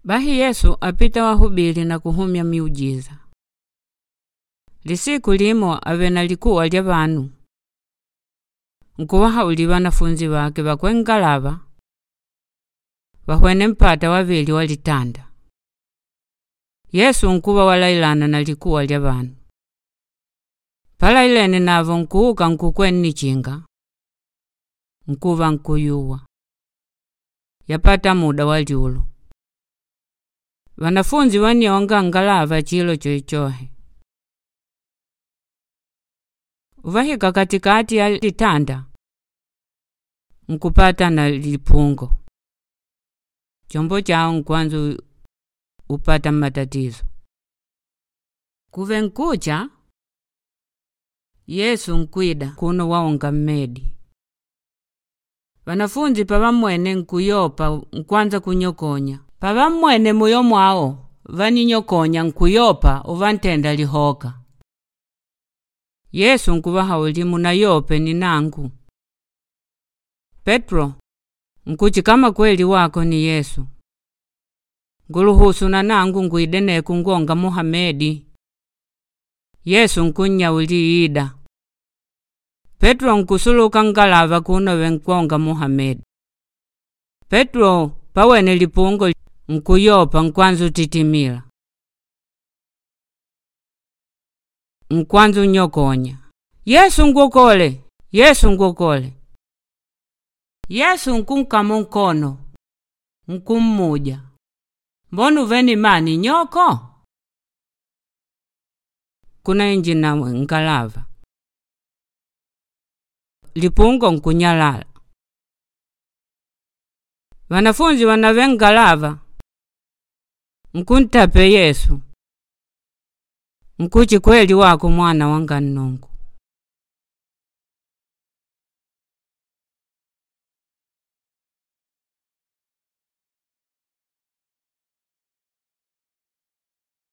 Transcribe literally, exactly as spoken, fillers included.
Bahi Yesu apita wahubili na kuhumya miujiza. Lisiku limo ave na likuwa lya vanu. Nkuwahauli wanafunzi wake vakwe ngalava wahwene mpata wavili walitanda. Yesu nkuva walailana na likuwa lya vanu. Palailene navo nkuuka nkukwe nnichinga. Nkuva nkuyuwa. Yapata muda wa lyulu. Wanafunzi wanionga ngalava chilo choichohe. Uvahika katikati ya litanda. Nkupata na lipungo. Chombo chao nkwanza upata matatizo. Kuve nkucha, Yesu nkwida kuno waonga mmedi. Wanafunzi pavamwene nkuyopa nkwanza kunyokonya. Pavamwene muyo mwao vaninyokonya nkuyopa uvantenda lihoka. Yesu nkuvahauli munayope ni nangu. Petro nkuchi kama kweli wako ni Yesu. Nguluhusu na nangu ngwidene kungonga Muhamedi. Yesu nkunyauli ida. Petro nkusuluka ngalava kuno venkonga Muhamedi. Petro pawene lipungo nkuyopa nkwanza utitimila. Nkwanza unyokonya. Yesu ngwokole, Yesu ngwokole. Yesu nkunkama nkono, nkummuja. Mbona uveni mani nyoko? Kuna inji na ngalava. Lipungo nkunyalala. Wanafunzi wanave ngalava. Nkuntape Yesu. Nkuchi kweli wako mwana wanga nnungu.